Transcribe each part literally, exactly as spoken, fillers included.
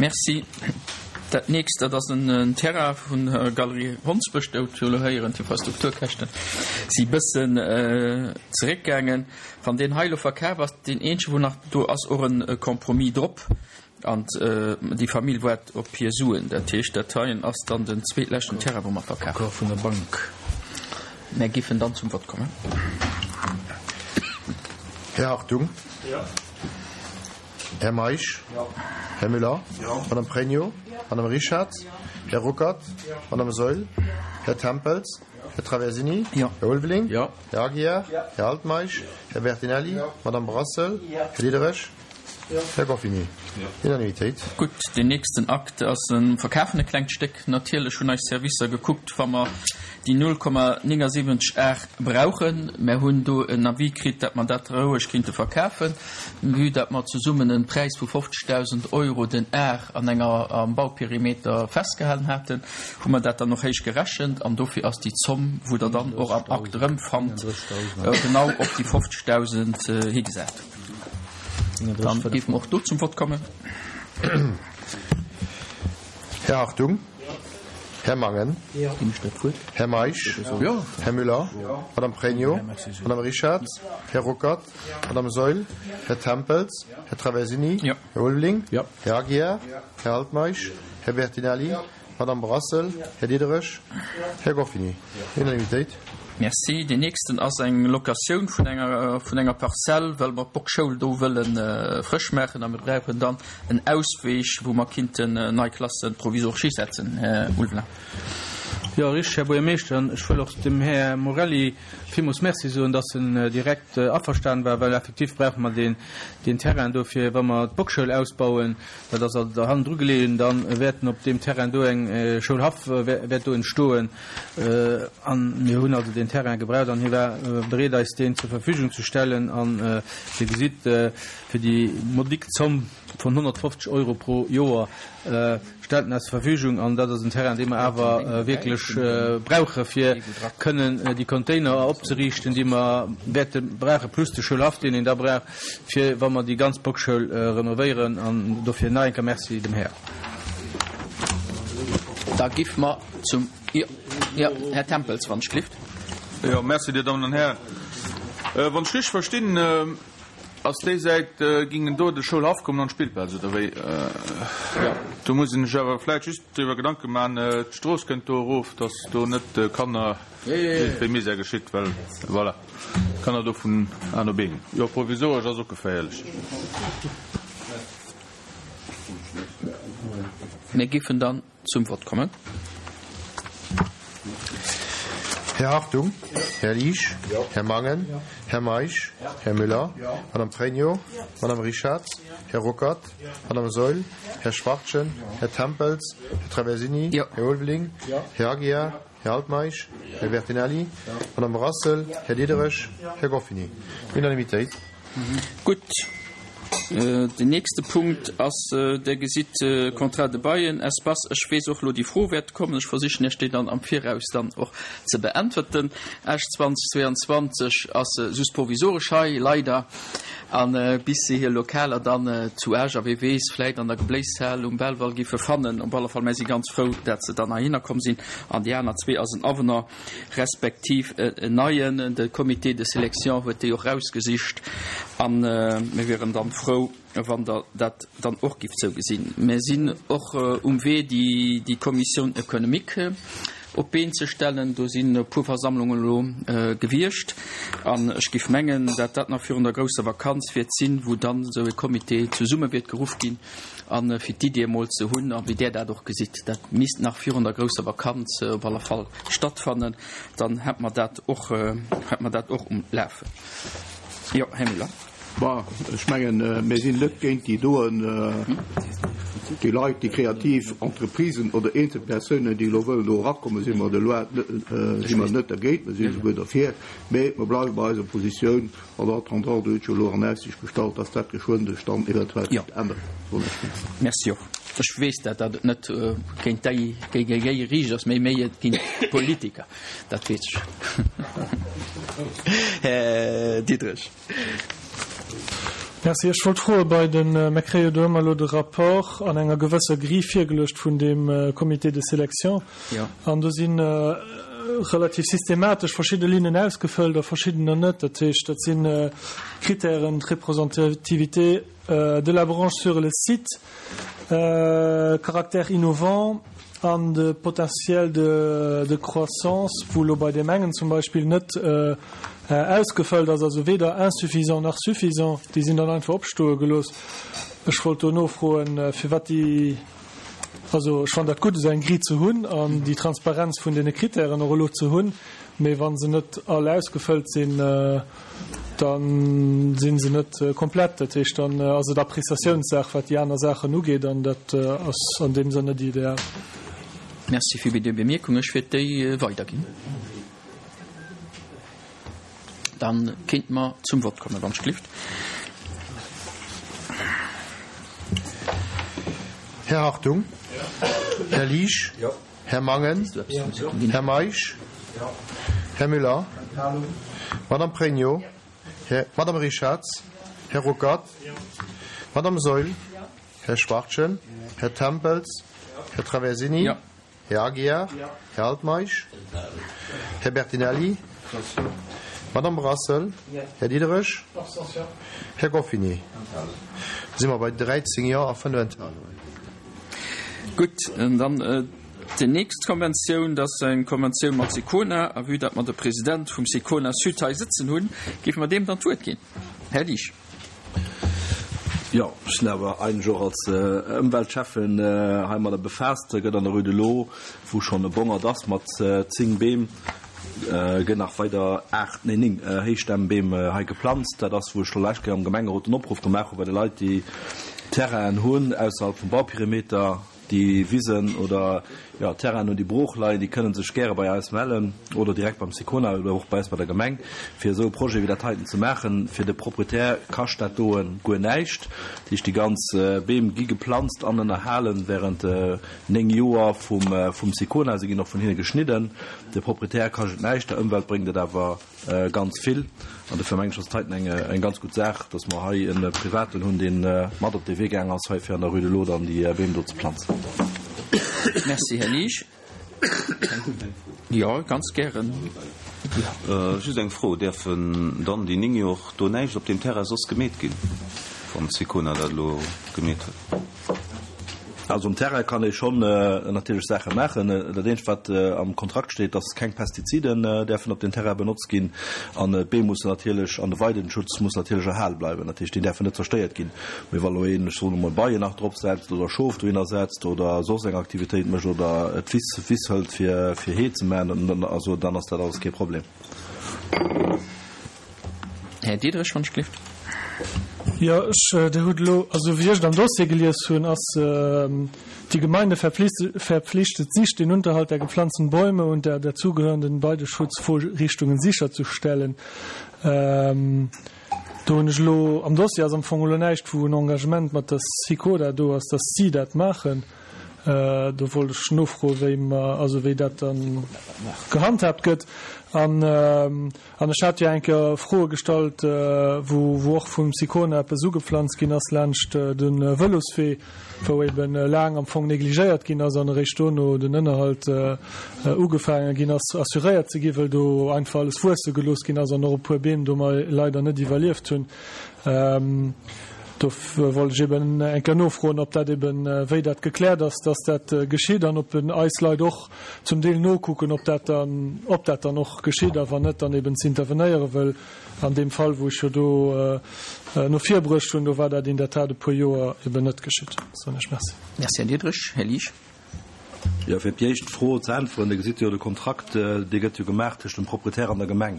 Merci. Dat nächst, dat ass en Terrain vun der Galerie Hondsbësch. Do hutt jo elo héieren, d'Infrastrukturkäschte si bëssen zeréckgaangen. Wann deen hei elo verkaf ass, deen eenzege wou nach do ass och e Compromis drop an déi Famill waart op hir Suen. Dat heescht, dat heien ass dann den zweetleschten Terrain wou mer verkafen. Accord vun der Bank. Mär giffen dann zum Vott kommen. Här Hartung. Här Meisch. Här Müller. Madame Pregno. Madame Richard. Här Ruckert. Madame Saeul. Här Tempels. Här Traversini. Här Ulveling. Här Aguiar. Här Altmeisch. Här Bertinelli. Madame Brassel. Här Diderich. Här Goffini. Unanimitéit. Gutt, deen nächsten Akt ass e Verkaf vun e klengt Stéck. Natierlech hunn eis Servicer gekuckt, wa mer déi null Komma néngasiwwenzeg Ar brauchen. Mer hunn do en Avis kritt, datt mer dat roueg kinnte verkafen, vue datt mer zesummen e Präis vu fofzegdausend Euro den Ar an enger, am Bauperimeter festgehalen haten, hu mer dat dann och héich gerechent an dofir ass déi Zomm, wou Der dann och am Akt erëmfannt, genau op déi fofzegdausend higesat. Dann géife mer och do zum Vott kommen. Här Hartung. Här Mangen. Här Meisch. Här Müller. Madame Pregno. Madame Richard. Här Ruckert. Madame Saeul. Här Tempels. Här Traversini. Här Ulveling. Här Aguiar. Här Altmeisch. Här Bertinelli. Madame Brassel. Här Diderich. Här Goffini. Unanimitéit. Merci. Deen nächsten ass eng Locatioun vun enger, vun enger Parzell, well mer d'Bockschoul do wëlle frësch maachen a mir brauchen dann en Ausweeg, wou mer kinnten nei Klasse provisoresch hisetzen. Här Ulveling. Jo, richtig, Här Buergermeeschter. An ech wëll och dem Här Morelli villmools Merci soen, dass en direkt averstanen war, well effektiv brauche mer deen, deen Terrain do fir, wa mer d'Bockschoul ausbauen, dat ass also hannendru geleeën, da wäerten op deem Terrain do eng Schoulhaff wäert do entstoen. A mir hunn also deen Terrain gebraucht an hie war bereet, eis deen zur Verfügung ze stellen. An Dir gesitt, fir déi modique Zomm vun honnertfofzeg Euro pro Joer stellt en eis zur Verfügung. An dat ass en Terrain, dee mer awer wierklech brauche fir kënnen déi Container opzeriichten, déi mer wäerte brauchen, plus de Schoulhaff, deen een da brauch, fir wa mer déi ganz Bockschoul renovéieren. An dofir nach eng Kéier Merci dem Här. Da giff mer zum, jo, jo, Här Tempels, wann ech glift. Jo, merci, Dir Dammen an Hären. Wann ech richteg verstinn, ass déi Säit, gingen do de Schoulhaff kommen an d'Spillplaz, oder wéi? Jo. Do muss een sech awer vläicht just driwwer Gedanke maachen, d'Strooss kënnt do erof, dass do net de Kanner iergendwéi Misär geschitt, well, voilà, d'Kanner do vun A no B ginn. Jo, provisoresch ass och geféierlech. Mir giffen dann zum Vott kommen. Här Hartung, Här Liesch, Här Mangen, Här Meisch, Här Müller, Madame Pregno, Madame Richard, Här Ruckert, Madame Saeul, Här Schwachtgen, Här Tempels, Här Traversini, Här Ulveling, Här Aguiar, Här Altmeisch, Här Bertinelli, Madame Brassel, Här Diderich, Här Goffini. Unanimitéit. Gutt. Den nächste Punkt ass, Der gesitt, Contrat de bail, Espace. Ech weess och elo, déi Fro wäert kommen. Ech versichen Iech déi dann am Viraus dann och ze beäntwerten. Esch zweitausendzweiundzwanzeg ass just provisoresch hei, leider, a bis se hir Lokaler dann zu Esch a wee weess, vläit an der Gebléishal um Belval giffe fannen. Op alle Fall, mär si ganz frou, dat se dann heihinner komm sinn. An déi aner zwee ass en Avenant respektiv en neien. De Comité de sélection huet déi och rausgesicht a mir wieren dann frou, wann Der dat dann och gifft sou gesinn. Mir sinn och um Wee, déi Commission économique op d'Been ze stellen. Do sinn e puer Versammlungen elo gewiescht an ech giff mengen, dat dat nach virun der grousser Vakanz wäert sinn, wou dann esou e Comité zesumme wäert geruff ginn a fir d'Iddi emol ze hunn a wéi Der dat och gesitt, dat misst nach virun der grousser Vakanz op alle Fall stattfannen, dann hätt mer dat och, hätt mer dat och um Lafen. Jo, Här Müller. Bon, ech mengen, mir sinn net géint déi doen, déi Leit, déi kreativ Entreprisen oder eenzel Persounen, déi elo wëllen do erakommen, si mer de loi, si mer net dergéint, mer si souguer derfir, mä mer bleiwe bei eiser Positioun en attendant, do huet jo elo an Aussicht gestallt, dass dat geschwënn sech dann eventuell kéint änneren. Merci och. Ech weess dat, datt et net géint déi, géi, géi riicht ass, mä méi et géint d'Politiker, dat weess ech. Här Diderich. Merci. Ech wollt froe bei den, mir kréie jo do ëmmer elo de Rapport an enger gewësser Grille virgeluecht vun deem Comité de sélection. Jo. An do si relativ systematesch verschidde Linnen ausgefëllt a verschiddener net. Dat heescht, dat si Kritären, d'Représentativité de la branche sur le site, caractère innovant an de Potentiel de, de croissance, wou elo bei deem engen zum Beispill net ausgefëllt ass, also weder insuffisant nach suffisant, déi sinn dann einfach opstoe gelooss. Ech wollt do nofroen, firwat déi, also ech fannen dat gutt, esou eng Grille ze hunn an déi Transparenz vun deene Kritären och elo ze hunn, mee wa se net all ausgefëllt sinn, da si se net komplett. Dat heescht, dann ass et Appréciatiounssaach, wat déi aner Saachen ugeet, an dat ass an deem Sënn net ideal. Merci fir déi Bemierkung. Ech wäert déi weiderginn. Dann kéinte mer zum Vott kommen, wann ech gelift. Här Hartung? Här Liesch? Här Mangen? Här Meisch? Här Müller? Madame Pregno? Här, Madame Richarz? Här Ruckert? Madame Saeul? Här Schwartjen? Här Tempels? Här Traversini? Här Aguiar? Här Altmeisch? Här Bertinelli? Madame Brassel? Här Diderich? Här Goffini? Da si mer bei dräizéng Jo a fënnef Enthalungen. Gutt, dann déi nächst Konventioun, dat ass eng Konventioun mat Sicona. A vue datt mer de President vum Sicona Sud hei sëtzen hunn, géife mer deem dann d'Wuert ginn. Här Liesch. Jo, ech sinn awer eigentlech och als Ëmweltschäffen heimadder befaasst. Gëtt an der Rue de l'Eau, wou schonn e Bongert ass mat zéng Beem, gëtt nach weider aacht, nee néng Héichstämmbeem hei geplanzt. Dat ass, wou ech scho lescht Kéier am Gemengerot den Opruff gemaach hu bei de Leit, déi Terrainen hunn ausserhalb vum Bauperimeter, déi Wisen oder, jo, Terrainen hunn, déi brooch leien, déi kënnen sech gäre bei eis mellen oder direkt beim Sicona oder och bei eis bei der Gemeng, fir esou e Projet wéi dat heiten ze maachen. Fir de Proprietär kascht dat doe guer näischt. Dat heescht, déi ganz Beem gi geplanzt an ënnerhalen während néng Joer vum, vum Sicona. Se ginn och vun hinne geschnidden. De Proprietär kascht et näischt, der Ëmwelt bréngt et awer ganz vill. An dofir mengen ech, ass dat heiten eng, eng ganz gutt Saach, dass mer hei e Privaten hunn, dee mat op dee Wee gaang ass, hei fir an der Rue de l'Eau dann déi Beem do ze planzen. Merci, Här Liesch. Jo, ganz gären. Just eng Fro, Däerfen dann déi néng Joer do näischt op deem Terrain soss gemeet ginn, wann d'Sicona dat elo gemeet huet? Also um Terrain kann ee schonn natierlech Saache maachen. Dat eenzegt, wat am Kontrakt steet, dass keng Pestiziden däerfen op den Terrain benotzt ginn. An d'Beem mussen natierlech, an de Weidenschutz muss natierlech erhale bleiwen. Dat heescht, déi däerfen net zerstéiert ginn. Mee wa lo een, ech soen emol, Beien nach drop setzt oder Schof dohinner setzt oder soss eng Aktivitéit mécht oder d'Wiss, Wiss hëlt fir, fir Hee ze maachen, dann, also dann ass dat alles kee Problem. Här Diderich, wann ech gelift. Jo, ech, Dir hutt elo, also wéi ech et am Dossier gelies hunn, ass die Gemeinde verpflichtet sich, den Unterhalt der gepflanzten Bäume und der dazugehörenden Weideschutzvorrichtungen sicherzustellen. Do hunn ech elo, am Dossier ass am Fong elo näischt, wou en Engagement mat der Sicona do ass, dass si dat maachen. Do wollt ech nofroen, wéi mer, also wéi dat dann gehandhaabt gëtt. An, an ech hat jo eng Kéier Froe gestallt, wou, wou och vum Sicona eppes ugepflanzt ginn ass laanscht de Vëloswee, wou eben laang am Fong negligéiert ginn ass an eréischt dono den Ënnerhalt ugefaange ginn ass assuréiert ze ginn, well do einfach alles wuesse gelooss ginn ass an och e puer Beem do mei leider net iwwerlieft hunn. Do wollt ech eben eng Kéier nofroen, ob dat eben, wéi dat gekläert ass, dass dat geschitt an ob eis Leit och zum Deel nokucken, ob dat dann, ob dat dann och geschitt a wann net, dann eben ze intervenéieren, well an deem Fall, wou ech jo do no vir bruecht hunn, do war dat in der Tat e puer Joer eben net geschitt. Soen ech Merci. Merci, Här Diderich. Här Liesch. Jo, fir op déi éischt Fro ze äntweren, Dir gesitt jo, de Kontrakt, dee gëtt jo gemaach tëscht dem Proprietär an der Gemeng.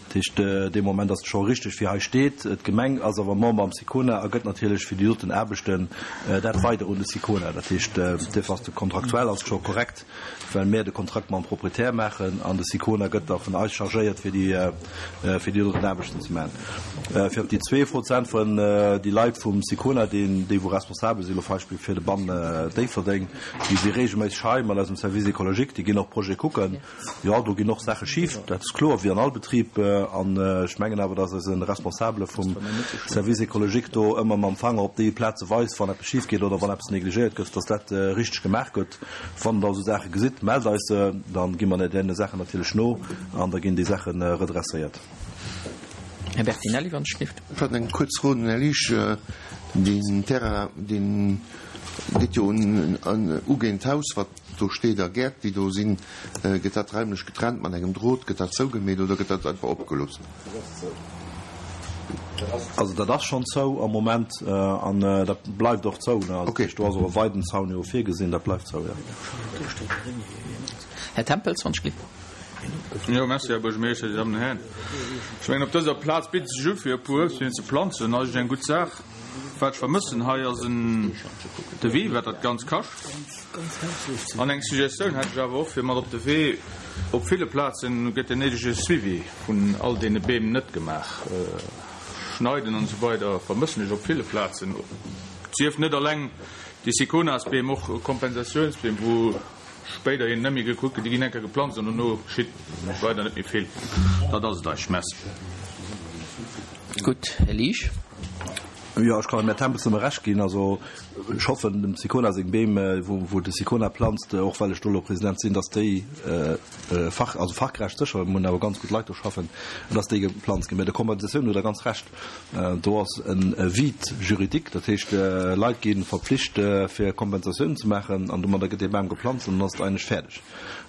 Dat heescht, dee Moment ass et scho richteg, wéi hei steet. D'Gemeng ass awer Member am Sicona a gëtt natierlech fir déi doten Aarbechten dat weider un de Sicona. Dat heescht, duerfir ass de kontraktuell ass scho korrekt, well mär de Kontrakt mam Proprietär maachen an de Sicona gëtt da vun eis chargéiert, fir déi, fir déi doten Aarbechten ze maachen. Fir op déi zwee Fro ze äntweren, déi Leit vum Sicona, déi, déi wou responsabel sinn, elo Beispill fir de Bann Déifferdeng, déi si regelméisseg hei mat eisem Service écologique, déi ginn och Projete kucken. Jo, do ginn och Saache schif, dat ass kloer, wéi an all Betrib. An ech mengen awer, dass eise Responsabele vum Service écologique do ëmmer mam Fanger op déi Plaze weist, wann eppes schif geet oder wann eppes negligéiert gëtt, dass dat richteg gemaach gëtt. Wann Der esou Saache gesitt, mellt eis se, da gi mer deene Saachen natierlech no an da ginn déi Saache redresséiert. Här Bertinelli, wann ech dierft. Ech hat eng kuerz Fro un den Här Liesch. Deen Terrain, dee geet jo un ugéint d'Haus, wat do steet, a Gäert, déi do sinn. Gëtt dat raimlech getrennt mat engem Drot? Gëtt dat zougemeet oder gëtt dat einfach opgelooss? Also dat ass schonn zou am Moment an dat bleift och zou. Also do ass och e Weidenzaun jo virgesinn. Dat bleift zou, jo. Här Tempels, wann ech gleef. Jo, merci, Här Buergermeeschter, Dir Dammen an Hären. Ech mengen, op dëser Plaz bitt et sech u fir e puer Uebstbeem ze planzen. Dat ass eng gutt Saach. Wat ech vermëssen hei ass en Devis, wat dat Ganzt kascht. An eng Suggestioun hätt ech awer och fir mat op de Wee, Op ville Plazen gëtt den néidege Suivi vun all deene Beem net gemaach. Schneiden an esou weider vermëssen ech op ville Plazen. Et sief net alleng déi Siconasbeem, och Kompensatiounsbeem, wou spéiderhin net méi gekuckt gëtt. Déi ginn eng Kéier geplanzt an dono geschitt weider net méi vill. Dat ass et eigentlech. Merci. Gutt, Här Liesch. Jo, ech kann dem Här Tempels nëmme Recht ginn. Also ech hoffen, dem Sicona seng Beem, wou de Sicona planzt, och well ech do elo President sinn, datt déi fach, also fachgerecht sécher, mir hunn awer ganz gutt Leit do schaffen, datt déi geplanzt ginn. Mä der Kompensatioun hutt Der ganz Recht, do ass e Vide juridique, dat heescht, Leit gi verpflicht fir Kompensatiounen ze maachen an domadder gëtt dee Bam geplanzt an dann ass et eigentlech fäerdeg.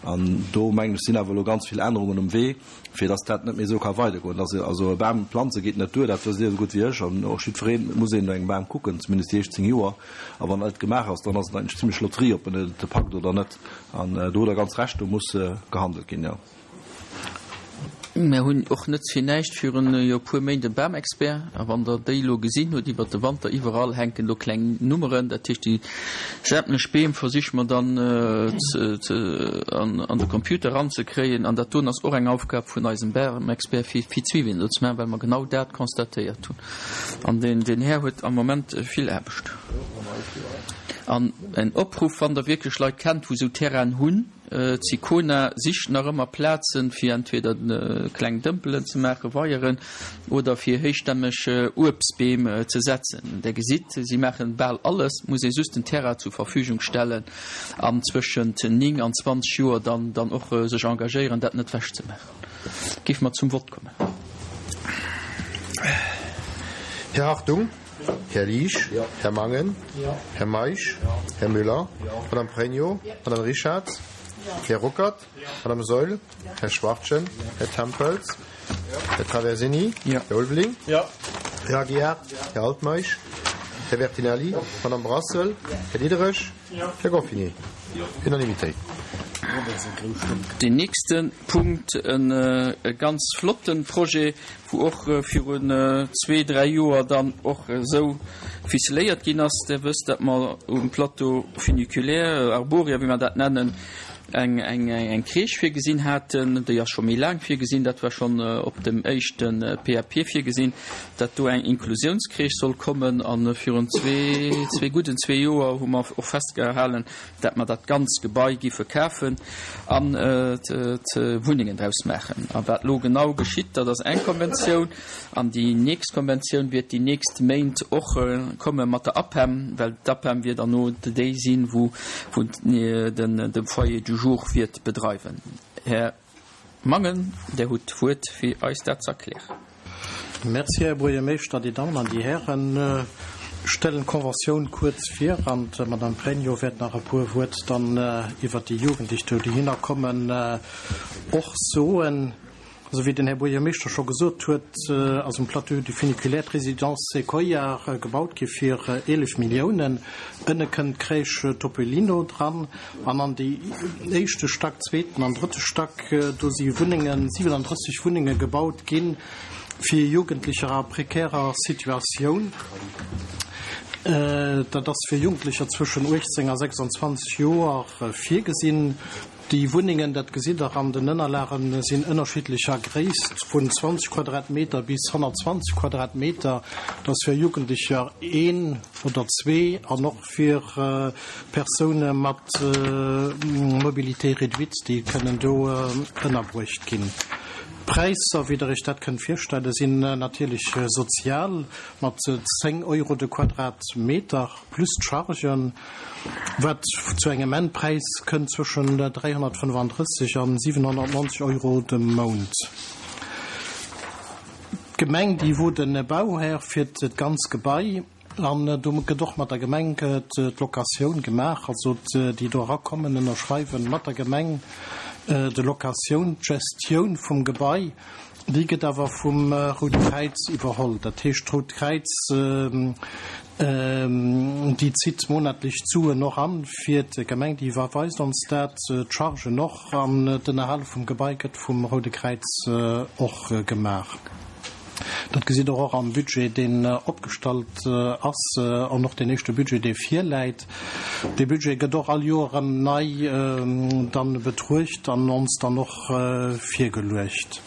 An do mengen ech sinn awer elo ganz vill Ännerungen um Wee, fir dass dat net méi esou ka weidergoen, dass also e Bam planze geet net duer, dat wësst Dir esou gutt wéi ech an och jiddwereen, et muss een no engem Bam kucken, zumindest déi éischt zéng Joer, a wann dat gemaach ass, dann ass et eigentlech zimlech Lotterie, ob en et packt oder net. An do hutt Der ganz Recht, do muss gehandelt ginn, jo. Mär hunn och net fir näischt virun jo e puer Méint e Bamexpert, a wann Der déi elo gesinn hutt iwwert de Wanter, iwwerall hänken do kleng Nummeren, dat heescht déi sämtlech Beem versiche mer dann an de Computer eranzekréien an dat doen ass och eng Aufgab vun eisem Bamexpert fir fir d'Suivien do ze maachen, well mer genau dat constatéiert hunn an deen Här huet am Moment vill Aarbecht. An en Opruff, wann Der wierklech Leit kennt, wou esou Terrainen hunn, D'Sicona sicht nach ëmmer Plazen, fir entweder kleng Dëmpelen ze maachen, Weieren, oder fir héichstämmeg Uebstbeem ze setzen. Der gesitt, si maachen bal alles, et muss ee just den Terrain zur Verfügung stellen an zwëschent néng an zwanzeg Joer dann dann och sech engagéieren, dat net wechzemaachen. Géife mer zum Vott kommen. Här Hartung. Här Liesch, Här Mangen, Här Meisch, Här Müller, Madame Pregno, Madame Richard, Här Ruckert, Madame Saeul, Här Schwachtgen, Här Tempels, Här Traversini, Här Ulveling, Här Aguiar, Här Altmeisch, Här Bertinelli, Madame Brassel, Här Diderich, Här Goffinet. Unanimitéit. Deen nächste Punkt, e ganz flotte Projet, wou och virun zwee, dräi Joer dann och esou ficeléiert ginn ass. Der wësst, datt mer um Plateau funiculaire, Arboria, wéi mer dat nennen, eng, eng, eng Crèche virgesinn haten. Déi ass scho méi laang virgesinn, dat war schonn op dem éischte P A P virgesinn, datt do eng Inklusiounscrèche soll kommen. A virun zwee, zwee gudden zwee Joer hu mer och festgehalen, dat mer dat ganz Gebai giffe kafen an Wunnengen draus maachen. A wat elo genau geschitt, dat ass eng Konventioun, an déi nächst Konventioun wäert déi nächst Méint och komme mat der APEM, well d'APEM wier dann no déi sinn, wou de Foyer du jour wiert bedreiwen. Här Mangen, Der hutt d'Wuert, fir eis dat ze erklären. Merci, Här Buergermeeschter, Dir Dammen an Dir Hären. Ech stellen d'Conventioun kuerz vir an d'Madame Pregno wäert nach e puer Wuert dann iwwert déi Jugendlech, déi dohinner kommen, och soen. Also wéi den Här Buergermeeschter scho gesot huet, ass um Plateau du Funiculaire d'Résidence Sequoia gebaut gi fir eelef Milliounen. Ënne kënnt d'Crèche Topolino dran an an déi éischte Stack, zweeten an drëtte Stack, do si Wunnengen, siwenandrësseg Wunnenge gebaut ginn fir Jugendlecher a prekärer Situatioun. Dat ass fir Jugendlecher zwëschen uechtzéng a sechsandzwanzeg Joer virgesinn. Déi Wunnengen, dat gesitt Der an den Ënnerlagen, sinn ënnerschiddlecher Gréisst, vun zwanzeg Quadratmeter bis honnertzwanzeg Quadratmeter. Dat ass fir Jugendlecher een oder zwee an och fir Persoune mat Mobilité réduite, déi kënnen do ënnerbruecht ginn. D'Präisser, wéi Der Iech dat kënnt virstellen, sinn natierlech sozial, mat zéng Euro de Quadratmeter plus d'Chargen, wat zu engem Endpräis kënnt zwëschen dräihonnertfënnefandrësseg an siwenhonnertnonzeg Euro de Mount. D'Gemeng, déi wor de Bauhär fir d'ganz Gebai. An do gëtt och mat der Gemeng d'Locatioun gemaach. Also déi do erakommen, ënnerschreiwen mat der Gemeng de Locatioun. D'Gestioun vum Gebai, déi gëtt awer vum Roude Kräiz iwwerholl. Dat heescht, d'Rout Kräiz, déi zitt monatlech d'Suen och an fir d'Gemeng, déi iwwerweist ons dat, d'Chargen och, an d'Ënnerhale vum Gebai gëtt vum Roude Kräiz och gemaach. Dat gesitt Der och am Budget, deen opgestallt ass, an och deen éischte Budget, dee virläit. Dee Budget gëtt och all Joer erëm nei dann betruecht an ons dann och virgeluecht.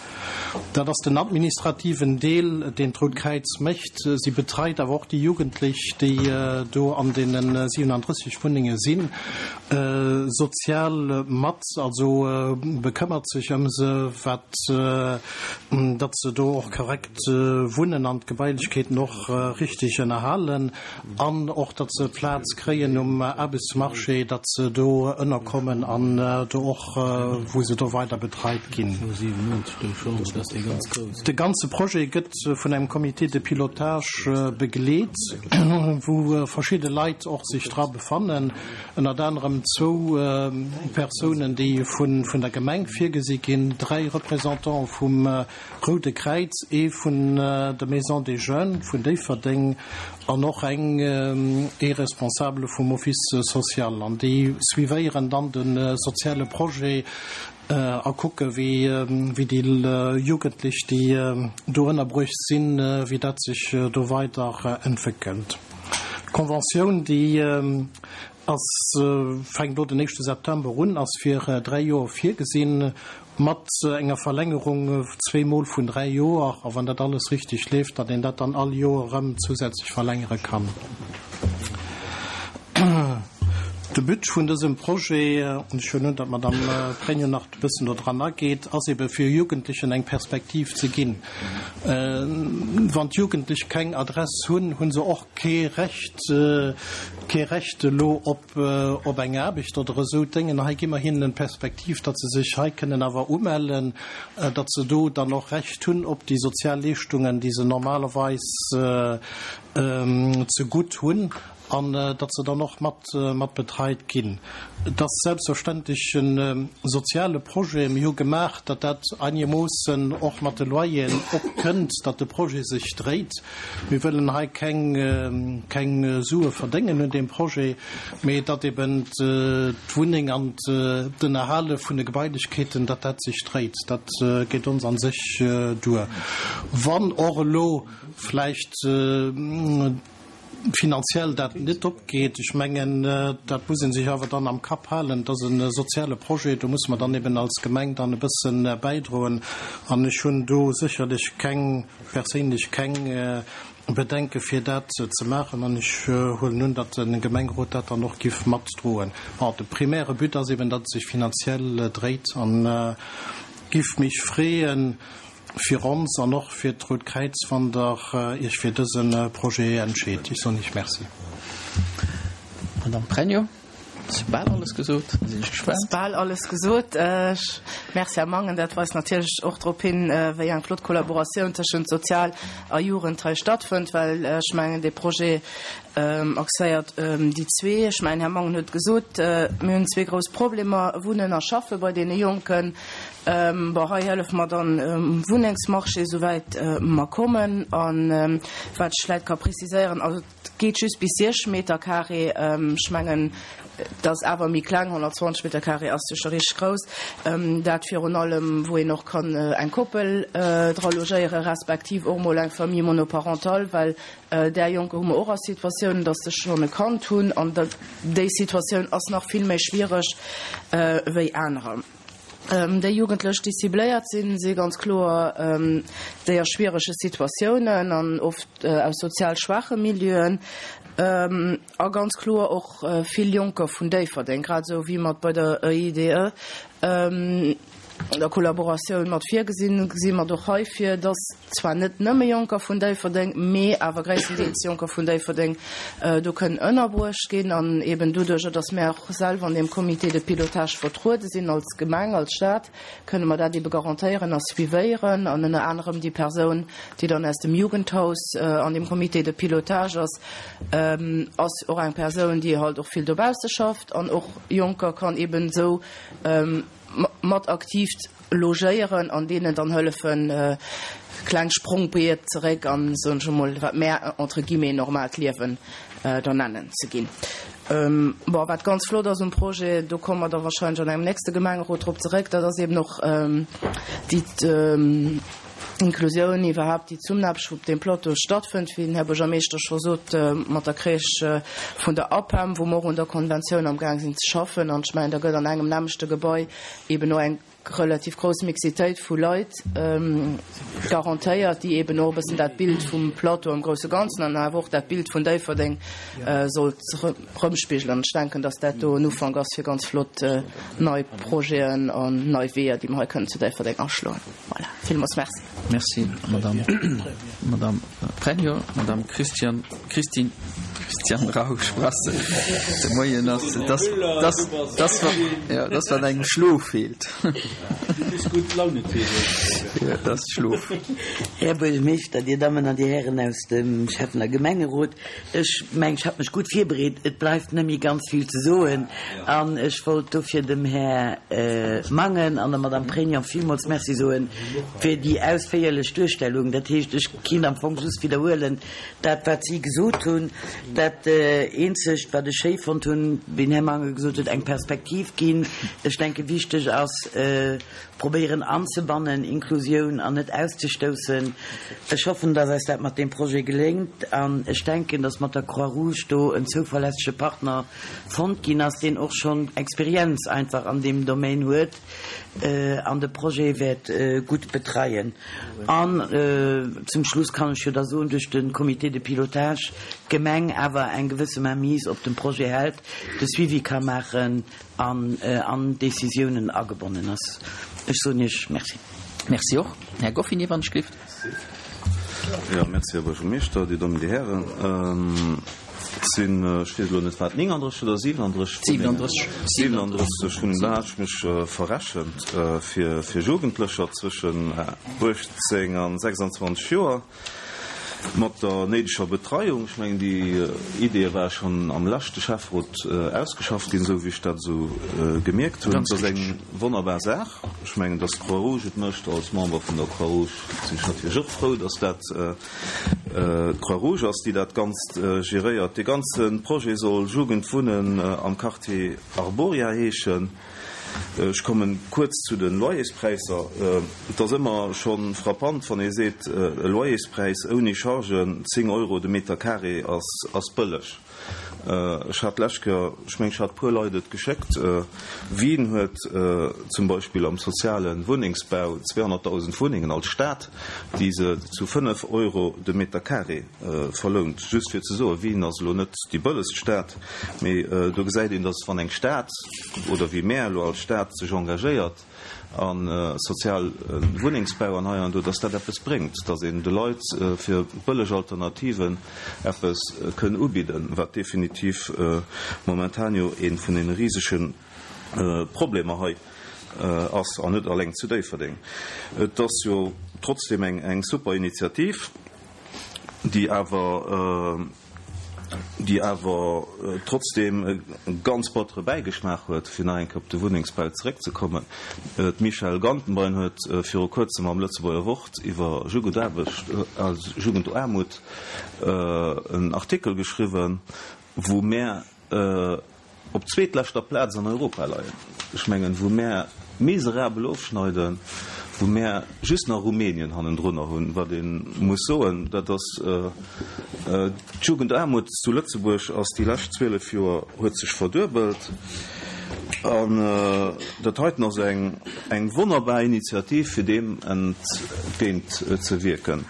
Dat ass den administrativen Deel, deen d'Rout Kräiz mécht. Si betreit awer och déi Jugendlech, déi do an deene siewenunddrësseg Wunnenge sinn, sozial mat, also bekëmmert sech ëm se, wat, datt se do och korrekt wunnen an d'Gebailechkeeten och richtig ënnerhalen an och, datt se Plaz kréien um Aarbechtsmarché, datt se do ënnerkommen an do och, wou se do weider betreit ginn. De ganze Projet gëtt vun engem Comité de pilotage begleet, wou verschidde Leit och sech dra befannen, ënnert anerem zwou Persounen, déi vun der Gemeng virgesi ginn, dräi Représentante vum Roude Kräiz, ee vun der Maison des Jeunes vun Déifferdeng an och eng, ee Responsabele vum Office social. An déi suivéieren dann de soziale Projet a kucke wéi déi Jugendlech, déi do ënnerbruecht sinn, wéi dat sech do weider entwéckelt. D'Conventioun, déi ass, fänkt elo den éischte September un, ass fir dräi Joer virgesinn, mat enger Verlängerung zweemol vun dräi Joer, a wann dat alles richteg leeft, datt een dat dann all Joer erëm zousätzlech verlängere kann. De But vun dësem Projet, an ech huelen un, datt d'Madame Pregno nach e bëssen do dran ageet, ass ebe fir Jugendlechen eng Perspektiv ze ginn. Wann d'Jugendlech keng Adress hunn, hu se och kee Recht, kee Recht elo op, op eng Aarbecht oder esou Déngen. Hei gi mer hinnen d'Perspektiv, datt se sech hei kënnen awer umellen, datt se do dann och Recht hunn op déi sozial Leeschtungen, déi se normalerweis zegutt hunn. an datt se dann och mat mat betreit ginn. Et ass selbstverständlech e soziale Projet. Mir hu gemaach, datt dat einegermoossen och mat de Loyeren opkënnt, datt de Projet sech dréit. Mir wëllen hei keng keng Sue verdéngen un deem Projet, mee datt eben d'Wunneng an d'Ënnerhale vun de Gebailechkeeten, datt dat sech dréit. Dat geet ons a sech duer. Wann och elo vläicht finanziell dat net opgeet, ech mengen, dat muss ee sech awer dann am Kapp halen, et ass e soziale Projet, do musse mer dann eben als Gemeng dann e bësse bäidroen. An ech hunn do sécherlech keng, perséinlech keng Bedenke fir dat ze maachen an ech huelen un, datt de Gemengerot dat dann och giff matdroen. Bon, de primäre But ass eben, datt et sech finanziell dréit an giff mech freeën, fir ons an och fir d'Rout Kräiz, wann Der Iech fir dëse Projet entscheet. Ech soen Iech Merci. Madame Pregno, et ass bal alles gesot, da sinn ech gespaant. Et ass bal alles gesot. Merci, Här Mangen. Dat weist natierlech och drop hin, wéi eng flott Kollaboratioun tëschent Sozial a Jugend hei stattfënnt, well ech mengen, dee Projet axéiert déi zwee. Ech mengen, Här Mangen huet gesot, mir hunn zwee grouss Problemer, Wunnen a Schaffe bei deene Jonken. Bon, hei hëllefe mer dann um Wunnengsmarché, souwäit mer kommen. A wat ech vläicht ka preziséieren, also et geet just bis siech Meter carré. Ech mengen, et ass awer méi kleng, honnertzwanzeg Meter carré ass jo scho richteg grouss. Dat virun allem, wou een och kann eng Koppel dra logéieren, respektiv och mol eng Famille monoparentale, well där Jonker hu mer och a Situatiounen, datt se schonn e Kand hunn an déi Situatioun ass nach vill méi schwiereg wéi anerer. Déi Jugendlech, déi cibléiert sinn, si ganz kloer déi a schwierege Situatiounen an oft aus sozial schwaache Milieuen a ganz kloer och vill Jonker vun Déifferdeng, grad esou wéi mer et bei der E I D E der Kollaboratioun mat virgesinn, gesi mer och hei vir, dass zwar net nëmme Jonker vun Déifferdeng, mee awer gréisstendeels Jonker vun Déifferdeng do kënnen ënnerbruecht ginn. An eben doduerjer, dass mär och selwer an deem Comité de pilotage vertruede sinn als Gemeng, als Stad, kënne mer dat ebe garantéieren a suivéieren. An ënner anerem déi Persoun, déi dann aus dem Jugendhaus an deem Comité de pilotage ass, ass och eng Persoun, déi halt och vill dobausse schafft an och Jonker kann eben esou mat aktiv logéieren an deenen dann hëllefen, kleng Sprongbriet zeréck an, soen ech emol, wat mär entre guillemets normaalt Liewen da nennen, ze ginn. Bon, wat ganz flott ass um Projet, do komme mer da wahrscheinlech an engem nächste Gemengerot drop zeréck, dat ass eben och déi Inklusioun iwwerhaapt, déi Zesummenaarbecht, wou op deem Plateau stattfënnt, wéi den Här Buergermeeschter scho sot, mat der Crèche vun der APEM, wou mer och un der Konventioun amgaang sinn ze schaffen. An ech mengen, da gëtt an engem nämmlechte Gebai eben och eng relativ grouss Mixitéit vu Leit garantéiert, déi eben och e bëssen dat Bild vum Plateau am grousse Ganzen an awer och dat Bild vun Déifferdeng sollt erëmspigelen. An ech denken, dass dat do en Ufank ass fir ganz flott nei Projeten an nei Weeër, déi mer hei kënnen zu Déifferdeng aschloen. Voilà, villmools merci. Merci, Madame, Madame Pregno. Madame Christian, Christine, Christiane Rausch-Brassel, de Moien ass, dass, dass, dass, ja, dass wat engem Schlof feelt. Ja, dat ass Schlof. Här Buergermeeschter, Dir Dammen an Dir Hären aus dem Schäffen a Gemengerot, ech mengen, ech hat mech gutt virbereet. Et bleift net méi ganz vill ze soen an ech wollt dofir dem Här Mangen an der Madame Pregnon villmools Merci soen fir déi ausféierlech Duerstellung. Dat heescht, ech kinnt am Fong just widderhuelen dat, wat si gesot hunn. Dat Eenzegt, wat ech schéi fonnt hunn, wéi den Här Mangen gesot huet, eng Perspektiv ginn. Ech denke wichteg ass, probéieren anzebannen, Inklusioun, an net auszestoussen. Ech hoffen, dass eis dat mat deem Projet geléngt an ech denken, dass mat der Croix-Rouge do en zouverlässege Partner fonnt ginn ass, deen och schonn Experienz einfach an deem Domaine huet an de Projet wäert gutt betreien. An zum Schluss kann ech jo da soen, duerch de Comité de pilotage d'Gemeng awer eng gewësse Mainmise op dem Projet hält, de Suivi ka maachen an an d'Décisiounen agebonnen ass. Ech soen Iech Merci. Merci och. Här Goffinet, wann ech gelift. Jo, merci, Här Buergermeeschter, Dir Dammen, Dir Hären. Et sinn, ech weess elo net, war et nénganddrësseg oder siwenanddrësseg Wunnengen? Siwenanddrësseg Wunnengen. Da hat ech mech verrechent fir, fir Jugendlecher zwëschen uechtzéng a sechsandzwanzeg Joer. Mat der néideger Betreiung. Ech mengen, déi Ideeë ware schonn am leschte Schäfferot ausgeschafft ginn, esou wéi ech dat esou gemierkt hunn. Dat ass eng wonnerbar Saach. Ech mengen, datt d'Croix-Rouge et mécht. Als Member vun der Croix-Rouge sinn ech natierlech och frou, datt dat d'Croix-Rouge ass, déi dat Ganzt geréiert. Dee ganze Projet soll Jugendwunnen am Quartier Arboria heeschen. Ech kommen kuerz zu de Loyerspräisser. Et ass ëmmer scho frappant, wann ee seet, e Loyerspräis ouni Chargen, zéng Euro de Meter carré, ass bëlleg. Ech hat d'lescht Kéier, ech mengen, ech hat e puer Leit et geschéckt, Wien huet zum Beispill am soziale Wunnengsbau zweehonnertdausend Wunnengen als Stad, déi se zu fënnef Euro de Meter carré verlount. Just fir ze soen, Wien ass elo net déi bëllegst Stad, mee do gesäit een, datt wann eng Stad, oder wéi mär elo als Stad, sech engagéiert a soziale Wunnengsbau an hei an do, datt dat eppes bréngt, datt een de Leit fir bëlleg Alternativen eppes kënn ubidden, wat definitiv momentan jo ee vun deene risege Problemer hei ass, an net alleng zu Déifferdeng. Et ass jo trotzdem eng super Initiativ, déi awer, déi awer trotzdem e ganz battere Bäigeschmaach huet, fir nach eng Kéier op de Wunnengsbau zeréckzekommen. D'Michèle Gantenbein huet viru Kuerzem am Lëtzebuerger Wort iwwer Jugendaarbecht, Jugendaarmut en Artikel geschriwwen, wou mär op zweetleschter Plaz an Europa leien, ech mengen, wou mär miserabel ofschneiden, wou mär just nach Rumänien hannendrunner hunn, wat ee muss soen, dat ass, d'Jugendaarmut zu Lëtzebuerg ass déi lescht zwielef Joer huet sech verduebelt. An dat heiten ass eng eng wonnerbar Initiativ, fir deem entgéint ze wierken.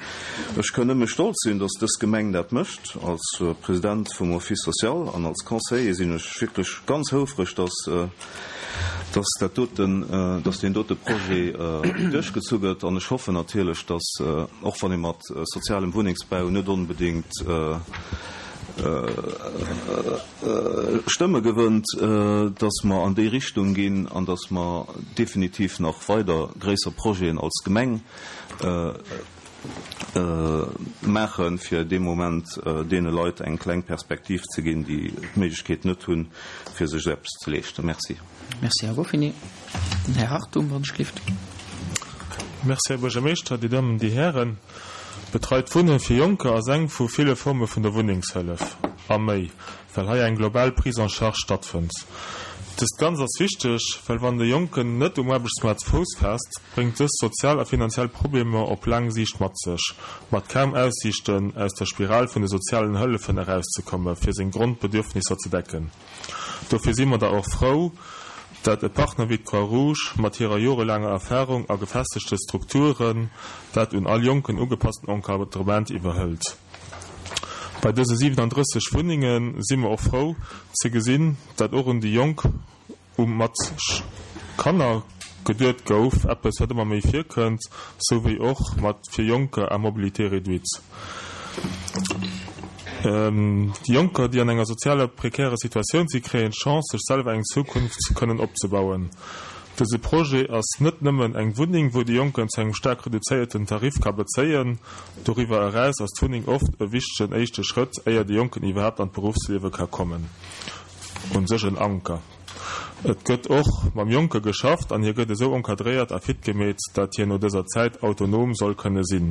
Ech kann nëmme stolz sinn, dass dës Gemeng dat mécht. Als President vum Office social an als Conseiller sinn ech wierklech ganz houfreg, dass dass dat doten, dass deen dote Projet duerchgezu gëtt. An ech hoffen natierlech, dass, och wann ee mat sozialem Wunnengsbau net onbedéngt Stëmme gewënnt, dass mer an déi Richtung ginn an dass mer definitiv nach weider gréisser Projeten als Gemeng maachen, fir dee Moment deene Leit eng kleng Perspektiv ze ginn, déi d'Méiglechkeet net hunn, fir sech esou eppes ze leeschten. Merci. Merci, Här Ruffini. Den Här Hartung, wann ech gelift. Merci, Här Buergermeeschter, Dir Dammen, Dir Hären. Betreit Wunne fir Jonker ass eng vu ville Forme vun der Wunnengshëllef, a méi, well hei eng global Prise en charge stattfënnt. Dëst Ganzt ass wichteg, well wann de Jonken net um Aarbechtsmaart Fouss faasst, bréngt dëst sozial a finanziell Problemer op laang Siicht mat sech, mat kaum Aussiichten, aus der Spiral vun de sozialen Hëllefen erauszekomme fir seng Grondbedürfnisser ze decken. Dofir si mer da och frou, dat e Partner wéi d'Croix-Rouge mat hirer jorelaanger Erfahrung a gefestegte Strukturen dat un all Jonken ugepassten Encadrement iwwerhëlt. Bei dëse siwenandrësseg Wunnenge si mer och frou ze gesinn, dat och un déi Jonk u mat Kanner geduet gouf, eppes wat ëmmer méi virkënnt, sou wéi och mat fir Jonker à mobilité réduite. Déi Jonker, déi an enger sozialer prekärer Situatioun si, kréien d'Chance, sech selwer eng Zukunft kënnen opzebauen. Dëse Projet ass net nëmmen eng Wunneng, wou de Jonken zu engem staark reduzéierten Tarif ka bezéien. Doriwwer eraus ass d'Wunneng oft e wichtegen éischte Schrëtt, éier de Jonken iwwerhaapt an d'Beruffsliewe ka kommen. U sech en Anker. Et gëtt och mam Jonke geschafft an hie gëtt esou encadréiert a fit gemeet, dat hien no dëser Zäit autonom soll kënne sinn.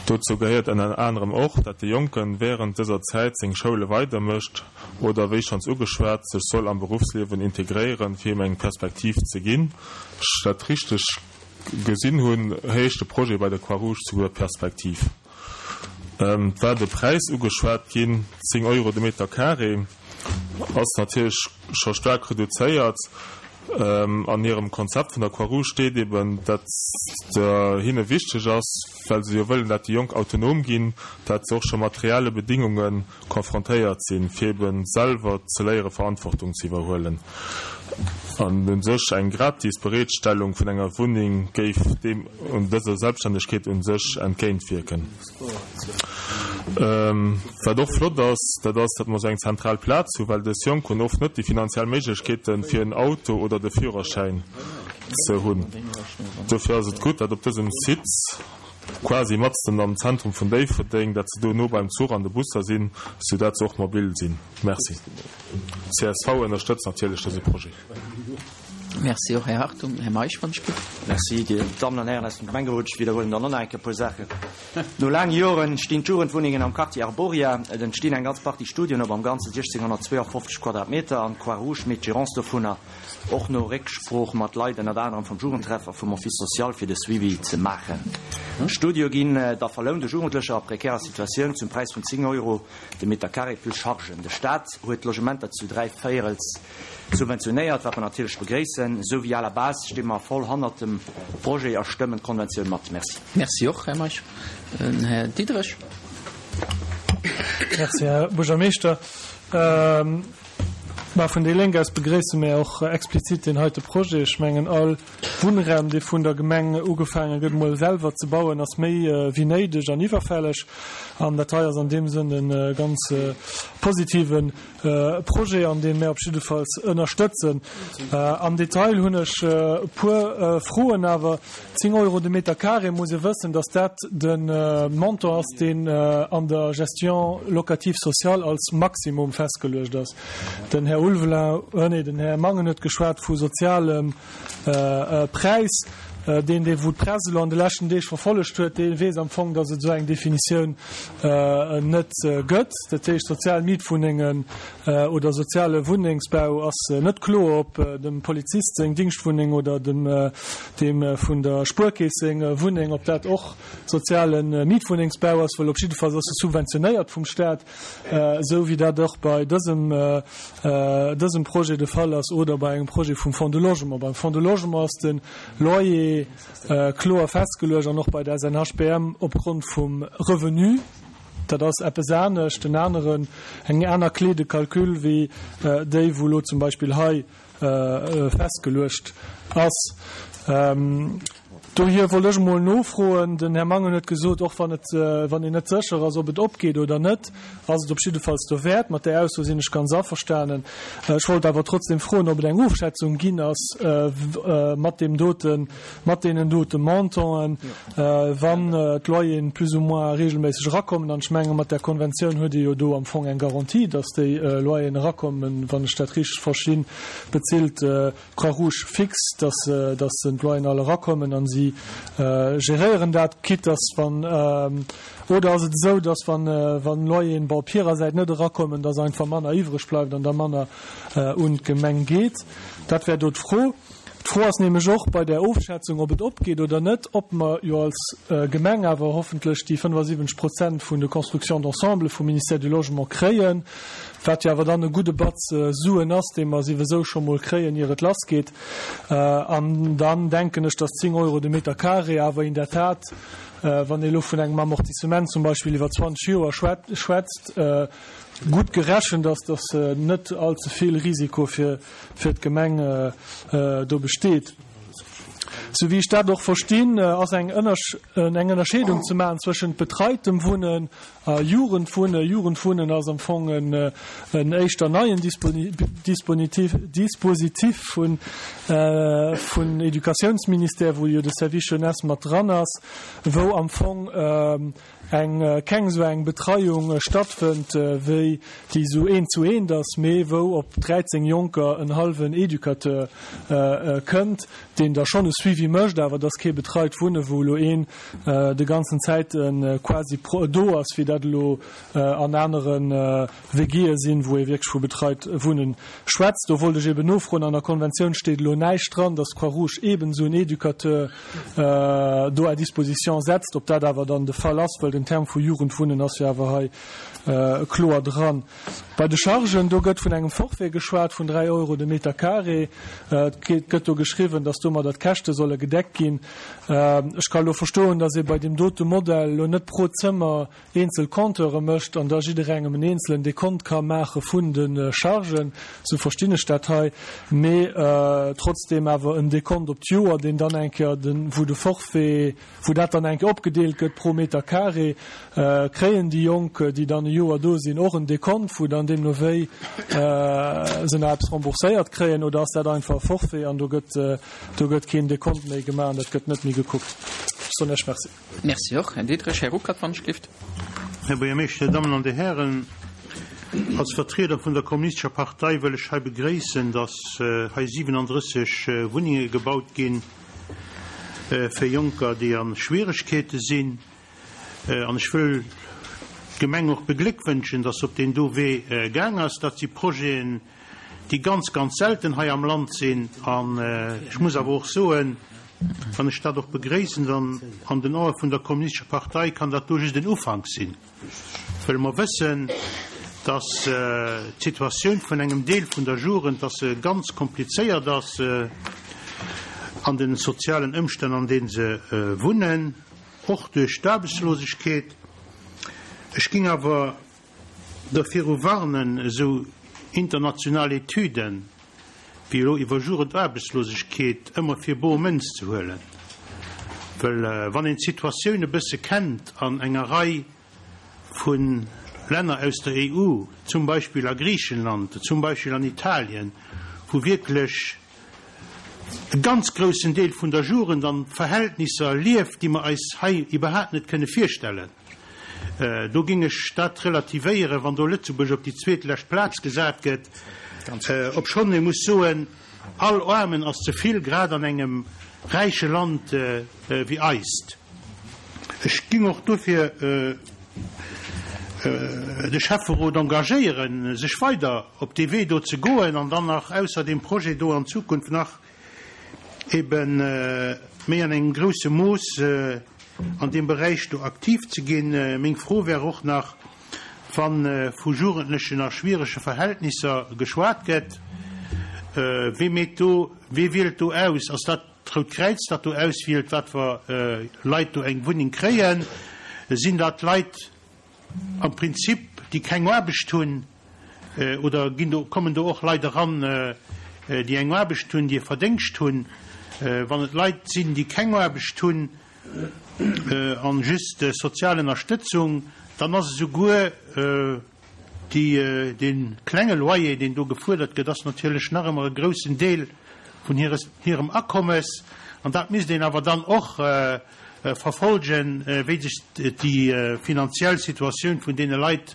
Dozou gehéiert ënner anerem och, dat de Jonken wärend dëser Zäit seng Schoule weidermécht oder, wéi schonns ugeschwat, sech soll am Beruffsliewen integréieren, fir him eng Perspektiv ze ginn. Ech dat richteg gesinn hunn, heescht de Projet bei der Croix-Rouge souguer Perspektiv. Et war de Präis ugeschwat ginn, zéng Euro de Meter carré ass natierlech scho staark reduzéiert. An hirem Konzept vun der Croix-Rouge steet eben, dat hinne wichteg ass, well se jo wëllen, dat déi Jonk autonom ginn, dat se och scho mat reelle Bedingunge konfrontéiert sinn, fir eben selwer ze léiere Verantwortung ze iwwerhuelen. An u sech eng gratis Bereetstellung vun enger Wunneng géif deem un dëser Selbststännegkeet u sech entgéintwierken. Wat och flott ass, dat ass, datt mer esou eng zentral Plaz hu, well dës Jonk hunn oft net déi finanziell Méiglechkeeten, fir en Auto oder de Führerschäin ze hunn. Dofir ass et gutt, datt op dësem Site, quasi matzen am Zentrum vun Déifferdeng, datt se do no beim Zuch an de Busser sinn, soudatt se och mobil sinn. Merci. Csv ënnerstëtzt natierlech dëse Projet. Merci och, Här Hartung. Här Meisch, wann ech giff. Merci, Dir Dammen an Hären aus dem Gemengerot. Ech widderhuelen dann och nach eng Kéier e puer Saachen. No laange Joren stinn d'Jugendwunnengen am Quartier Arboria. Et entstinn eng ganz Partie Studioen op am Ganze siechzehnhunnertzweeafofzeg Quadratmeter an d'Croix-Rouge mécht d'Gérance dovunner, och no Récksprooch mat Leit ënnert anerem vum Jugendtreff a vum Office social fir de Suivi ze maachen. D'Studioe ginn da verlount u Jugendlecher a prekärer Situatioun zum Präis vun zéng Euro de Meter carré plus Chargen. De Staat huet d'Logementer zu dräi Véierels subventionéiert, wat mer natierlech begréissen. Esou wéi à la base sti mer voll hannert dem Projet a stëmmen d'Konventioun mat. Merci. Merci och, Här Meisch. Den Här Diderich. Merci, Här Buergermeeschter. Mä vun déi Lénk aus begréisse mir och explizit deen heite Projet. Ech mengen, all Wunnraum, dee vun der Gemeng ugefaange gëtt, emol selwer ze bauen, ass méi wéi néideg an iwwerfälleg. An dat hei ass an deem Sënn e ganz positive Projet, an dee mir op jiddefalls ënnerstëtzen. Am Detail hunn ech e puer Froen awer. Zéng Euro de Meter carré, muss ee wëssen, dass dat de Montant ass, deen an der Gestion locative sociale als Maximum festgeluecht ass. Den Här Ulveling, nee, den Här Mangen huet geschwat vu sozialem Präis. Deen, dee wou d'Press elo an de leschten Deeg verfollegt huet, dee weess am Fong, datt et esou eng Definitioun net gëtt. Dat heescht, sozial Mietwunnengen oder soziale Wunnengsbau ass net kloer, ob dem Polizist seng Dingschtwunneng oder dem deem vun der Spuerkeess seng Wunneng, ob dat och soziale Mietwunnengsbau ass, well op jiddefalls ass e subventionéiert vum Staat, esou wéi dat och bei dësem dësem Projet de Fall ass oder bei engem Projet vum Fonds de Logement. Beim Fonds de Logement ass de Loyer kloer festgeluecht an och bei der S N H P M opgrond vum Revenu. Dat ass eppes anescht, en aneren, eng aner Clé de calcul wéi déi, wou elo zum Beispill hei festgeluecht ass. Dohier wollt ech emol nofroen, den Här Mangen huet gesot, och wann et, wann een net sécher ass, ob et opgeet oder net, ass et op jiddefalls dowäert. Mat där Ausso sinn ech ganz averstanen. Ech wollt awer trotzdem froen, ob et eng Ofschätzung ginn ass mat deem doten, mat deenen dote Montanten, wann d'Loyeren plus ou moins regelméisseg erakommen. An ech menge mat där Konventioun huet ee jo do am Fong eng Garantie, dass déi Loyeren erakommen, wann ech dat richteg verstinn, bezilt d'Croix-Rouge fix, dass, dass d'Loyeren all erakommen an si geréieren dat, quitte dass wann, oder ass et esou, dass wann, wann Loyeren bon op hirer Säit net erakommen, dass einfach manner iwwreg bleift an da manner un d'Gemeng geet? Dat wär do d'Fro. D'Fro ass nämlech och bei där Ofschätzung, ob et opgeet oder net, ob mer jo als Gemeng awer hoffentlech déi fënnefasiwwenzeg Prozent vun de Constructions d'ensemble vum Ministère du Logement kréien, wat jo awer dann e gudde Batz Suen ass, dee mer siwesou scho mol kréien, ier et lassgeet. An dann denken ech, dass zéng Euro de Meter carré awer in der Tat, wann ee elo vun engem Amortissement zum Beispill iwwer zwanzeg Joer schwätzt, gutt gerechent ass, dass net allze vill Risiko fir d'Gemeng do besteet. Sou wéi ech dat och verstinn, ass eng Ënnerscheedung ze maachen zwëschent betreitem Wunnen a Jugendwunnen. Jugendwunnen ass am Fong en éischter neien Dispositif vun Educatiounsministère, wou jo de Service Jeunesse mat dran ass, wou am Fong eng keng esou eng Betreiung stattfënnt, wéi déi esou eent zu eent ass, mee wou op dräizéng Jonker en hallwen Educateur kënnt, deen da schonn e Suivi mécht, awer et ass kee betreit Wunne wou elo een de ganzen Zäit quasi do ass, wéi dat elo an anere W G'e sinn, wou ee wierklech vu betreit Wunnen schwätzt. Do wollt ech eben nofroen, an der Konventioun steet elo näischt dran, dass d'Croix-Rouge eben esou en Educateur do à disposition setzt, ob dat awer dann de Fall ass, well den Term vu Jugendwunnen ass jo awer hei kloer dran. Bei de Chargen, do gëtt vun engem Forfait geschwat vun dräi Euro de Meter carré. Et gëtt do geschriwwen, dass domadder d'Käschte solle gedeckt ginn. Ech ka elo verstoen, dass ee bei deem dote Modell elo net pro Zëmmer eenzel Compteure mécht an da jidderengem en eenzelen Dekont ka maache vun de Chargen, esou verstinn ech dat hei, mee trotzdeem awer en Dekont op d'Joer, deen dann eng Kéier den, wou de Forfait, wou dat dann eng Kéier opgedeelt gëtt pro Meter carré, kréien déi Jonk, déi dann e Joer do sinn, och en Dekont, wou dann deemno wéi se nach eppes rembourséiert kréien, oder ass dat einfach e Forfait an do gëtt, do gëtt keen Dekont méi gemaach an dat gëtt net méi gekuckt? Ech soen Iech Merci. Merci och, Här Diderich. Här Ruckert, wann ech gelift. Här Buergermeeschter, Dir Dammen an Dir Hären, als Vertrieder vun der Kommunistescher Partei wëll ech hei begréissen, dass hei siwenandrësseg Wunnenge gebaut ginn fir Jonker, déi a Schwieregkeete sinn. An ech wëll d'Gemeng och begléckwënschen, dass se op deen do Wee gaang ass. Dat si Projeten, déi ganz, ganz selten hei am Land sinn. An ech muss awer och soen, wann ech dat och begréissen, dann an den Ae vun der Kommunistescher Partei kann dat do just en Ufank sinn, well mer wëssen, dass d'Situatioun vun engem Deel vun der Jugend, dass se ganz komplizéiert ass an de sozialen Ëmstänn, an deene se wunnen, och duerch d'Aarbechtslosegkeet. Ech géing awer derviru warnen, esou international Etüden wéi elo iwwer Jugendaarbechtslosegkeet ëmmer fir bor Mënz ze huelen, well wann een d'Situatioun e bësse kennt an enger Rei vu Länner aus der E U, zum Beispill a Griichenland, zum Beispill an Italien, wou wierklech e ganz groussen Deel vun der Jugend an Verhältnisser lieft, déi mer eis hei iwwerhaapt net kënne virstellen, do géing ech dat relativéieren, wann do Lëtzebuerg op déi zweetlescht Plaz gesat gëtt, obschonn ee muss soen, all Aarmen ass ze vill, grad an engem räiche Land wéi eist. Ech géing och dofir de Schäfferot engagéieren, sech weider op dee Wee do ze goen an dann nach ausser deem Projet do an Zukunft nach ebe méi an engem grousse Mooss an deem Beräich do aktiv ze ginn. Meng Fro wär och nach, wa vu Jugendlechen a schwierege Verhältnisser geschwat gëtt, Wee meet do, wee wielt do aus? Ass dat d'Rout Kräiz, dat do auswielt, wat fir Leit do eng Wunneng kréien? Sinn dat Leit, am Prinzip, déi keng Aarbecht hunn, oder ginn do, kommen do och Leit eran, déi eng Aarbecht hunn, déi e Verdéngscht hunn? Wann et Leit sinn, déi keng Aarbecht hunn an just sozial Ënnerstëtzung, dann ass esouguer déi, dee klenge Loyer, deen do gefuerdert gëtt, ass natierlech nach ëmmer e groussen Deel vun hires, hirem Akommes. An dat misst een awer dann och verfolgen, wéi sech déi finanziell Situatioun vun deene Leit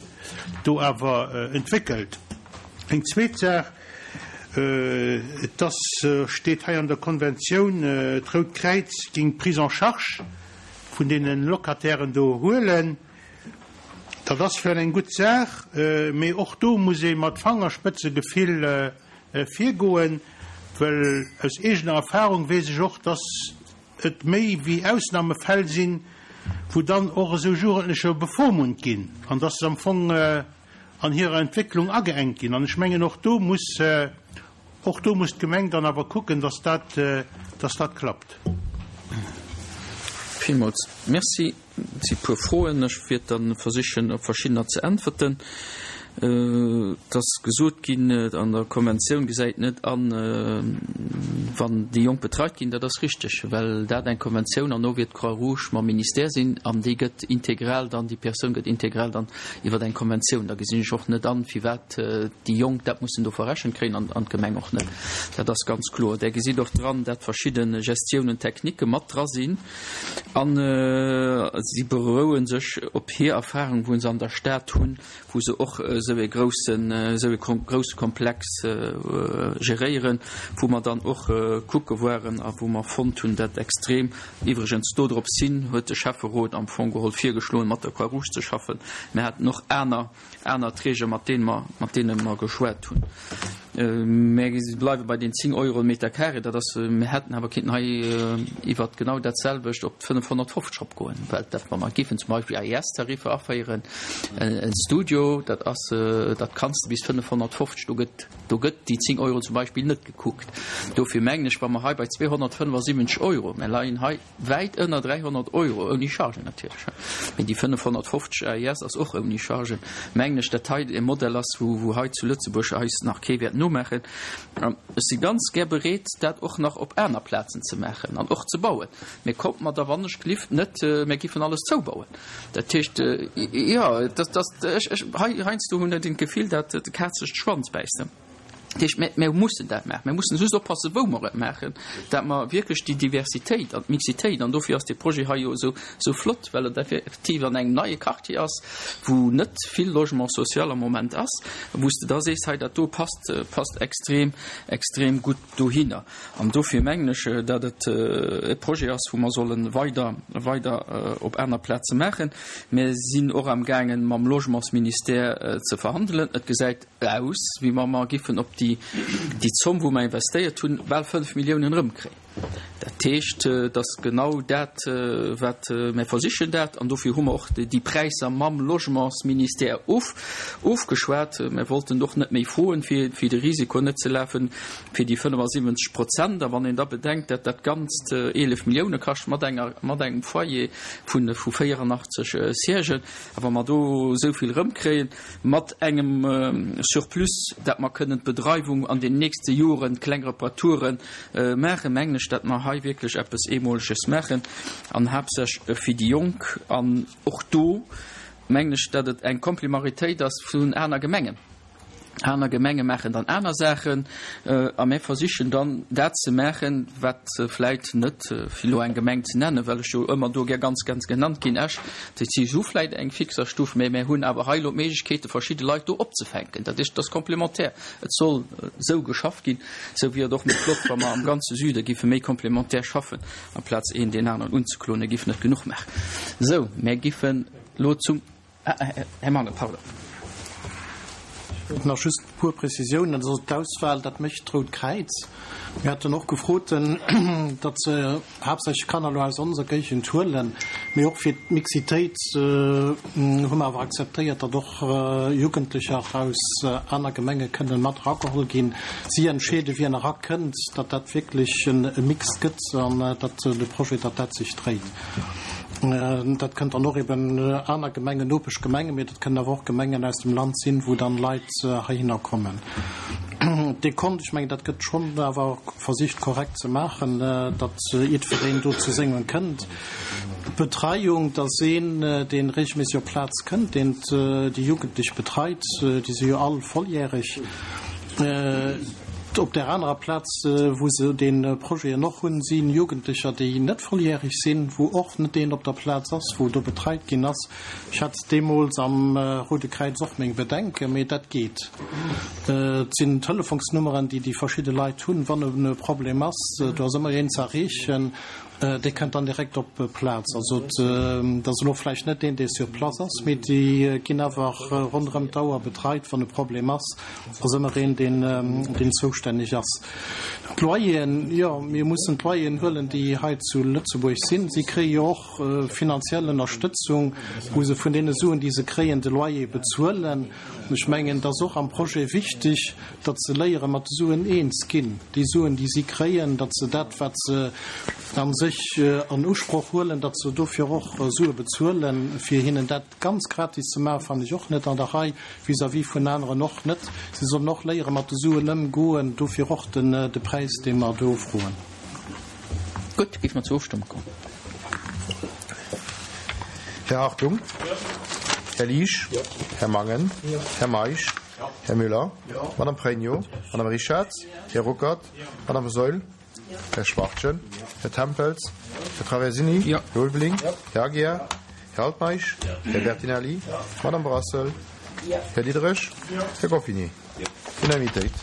do awer entwéckelt. Eng zweet Saach, et ass, steet hei an der Konventioun, d'Rout Kräiz géing d'Prise en charge vun deene Locatairen do huelen. Dat ass vläicht eng gutt Saach, mee och do muss ee mat Fangerspëtzegefill virgoen, well aus eegener Erfahrung weess ech och, dass et méi wéi Ausnahmefäll sinn, wou dann och esou Jugendlecher bevormunnt ginn an dass se am Fong an hirer Entwécklung ageengt ginn. An ech mengen, och do muss, och do muss d'Gemeng dann awer kucken, dass dat, dass dat klappt. Villmools Merci. Et si puer Froen. Ech wäert da versichen, op verschiddener ze äntwerten. Et ass gesot ginn, an der Konventioun gesäit net an, wann déi Jonk betreit ginn. Dat ass richteg, well dat eng Konventioun an no wier d'Croix-Rouge mam Ministère sinn an déi gëtt integral dann, déi Persoun gëtt integral dann iwwer eng Konventioun. Da gesinn ech och net an, firwat déi Jonk dat mussen do verrechent kréien an d'Gemeng och net. Dat ass ganz kloer. Där gesitt och dran, dat verschidde Gestiounen techniquë mat dra sinn an si beroue sech op hir Erfahrung, wou se an der Stad hunn, wou se och esou e groussen, esou e grousse Komplex geréieren, wou mer dann och kucke waren a wou mer fonnt hunn, dat extrem, iwwregens dodrops hin huet de Schäfferot am Fong geholl virgeschloen, mat der Croix-Rouge ze schaffen. Mir haten och aner, aner Träger, mat deene mer, mat deene mer geschwat hunn. Mir bleiwe bei den zéng Euro den Meter carré. Dat ass, mir hätten awer kinnten hei iwwert genau dat selwecht op fënnefhonnertfofzeg eropgoen, well dat, wa mer géifen zum Beispill A E S-Tariffer aféieren, en Studio, dat ass, dat kanns de bis fënnefhonnertfofzeg, do gëtt, do gëtt déi zéng Euro zum Beispill net gekuckt. Dofir mengen ech, wa mer hei bei zweehonnertfënnefasiwwenzeg Euro, mir leien hei wäit ënner dräihonnert Euro, ouni Chargen natierlech, mee déi fënnefhonnertfofzeg A E S ass och ouni Chargen, mengen ech, dat hei e Modell ass, wou, wou hei zu Lëtzebuerg eis nach kee wäert nomaachen. An ech si ganz gär bereet, dat och nach op aner Plazen ze maachen an och ze bauen. Mee kommt mer da wannechgelift net, mir giffen alles zoubauen. Dat heescht, jo, dat, dat, ech, ech, hei, heiansdo hunn ech d'Gefill, dat d'Kaz sech de Schwanz bäisst. Dat heescht, mir, mir mussen dat maachen. Mir mussen just oppassen, wou mer et maachen, dat mer wierklech déi Diversitéit an d'Mixitéit, an dofir ass dee Projet hei jo esou, esou flott, well et effektiv an engem neie Quartier ass, wou net vill Logement social am Moment ass, wou s de da sees, hei dat do passt, passt extrem, extrem gutt dohinner. An dofir mengen ech, dat et e Projet ass, wou mer solle weider, weider op aner Plaze maachen. Mir sinn och amgaangen, mam Logementsministère ze verhandelen. Et gesäit aus, wéi wa mer giffen op déi, déi Zomm, wou mer investéiert hunn, bal fënnf Milliounen erëmkréien. Dat heescht, et ass genau dat, wat mer versichen dat, an dofir hu mer och déi Präisser mam Logementsministère of, ofgeschwat. Mer wollten och net méi froen, fir, fir de Risiko net ze lafen, fir déi fënnefasiwwenzeg Prozent. A wann een da bedenkt, dat dat Ganzt eelef Millioune kascht mat enger, mat engem Foyer vun, vu véierunachtzeg Siègen, a wa mer do esou vill erëmkréien, mat engem Surplus, dat mer kënnen d'Bedreiwung an den nächste Joren, kleng Reparaturen maachen, mengen ech, dat mer hei wierklech eppes Eemoleges maachen, an haaptsächlech fir déi Jonk. An och do mengen ech, dat et eng Komplemaritéit ass vun aner Gemengen. Aner Gemenge maachen dann aner Saachen, a mir versichen dann dat ze maachen, wat vläit net, fir elo eng Gemeng ze nennen, well ech jo ëmmer do gär ganz, ganz genannt ginn, Esch, déi si hu vläit eng Fixerstuff, mä mir hunn awer hei elo d'Méiglechkeete verschidde Leit do opzefänken. Dat heescht, et ass komplementär. Et soll esou geschafft ginn. Esou wier et och méi flott, wa mer am ganze Süde géife méi komplementär schaffen, amplaz een deen aneren unzekloen, e giff net genuch maachen. Esou, mir giffen elo zum, ah, Här Mangen, pardon. Nach just e puer Prezisiounen. Also d'Auswahl, dat mécht d'Rout Kräiz. Mir haten och gefrot, datt se haaptsächlech Kanner elo aus onser Géigend huelen. Mee och fir d'Mixitéit hu mer awer akzeptéiert, datt och Jugendlecher aus aner Gemenge kënnen mat erageholl ginn. Si entscheede wien erakënnt, datt dat wierklech e Mix gëtt an datt de Projet, datt dat sech dréit. Dat kënnt dann och eben aner Gemengen, Nopeschgemengen, mee dat kënnen awer och Gemengen aus dem Land sinn, wou dann Leit heihinner kommen. Dekont, ech mengen, dat gëtt schonn awer versicht korrekt ze maachen, datt jiddwereen do zu sengem kënnt. D'Betreiung, dass een, dee regelméisseg op d'Plaz kënnt, deen déi Jugendlech betreit, déi si jo all volljäreg. Op där anerer Plaz, wou se dee Projeten och hunn, si Jugendlecher, déi net volljäreg sinn, wou och net een op der Plaz ass, wou do betreit ginn ass. Ech hat deemools am Roude Kräiz och meng Bedenken, mee dat geet. Et sinn Telefonsnummeren, déi déi verschidde Leit hunn, wann e Problem ass. Do ass ëmmer een ze erreechen. Dee kënnt dann direkt op d'Plaz. Also et ass elo vläicht net deen, dee sur place ass, mee déi ginn awer ronderëm d'Auer betreit, wann e Problem ass. Ass ëmmer een, deen, deen zoustänneg ass. D'Loyeren, jo, mir mussen d'Loyeren huelen, déi hei zu Lëtzebuerg sinn. Si kréie jo och finanziell Ënnerstëtzung, wou se vun deene Suen, déi se kréien, de Loyer bezuelen. Ech mengen, et ass och am Projet wichteg, datt se léiere mat de Suen eens ginn, déi Suen, déi si kréien, datt se dat, wat se a sech an Usproch huelen, datt se dofir och Sue bezuelen. Fir hinnen dat ganz gratis ze maachen, fannen ech och net an der Rei, vis-à-vis vun aneren och net. Si sollen och léiere mat de Suen ëmgoen, dofir och de Präis, dee mer do froen. Gutt, géife mer zur Ofstëmmung kommen. Här Hartung? Här Liesch? Här Mangen? Här Meisch? Här Müller? Madame Pregno? Madame Richarz? Här Ruckert? Madame Saeul? Här Schwachtgen? Här Tempels? Här Traversini? Här Ulveling? Här Aguiar? Här Altmeisch? Här Bertinelli? Madame Brassel? Här Diderich? Här Goffinet? Unanimitéit.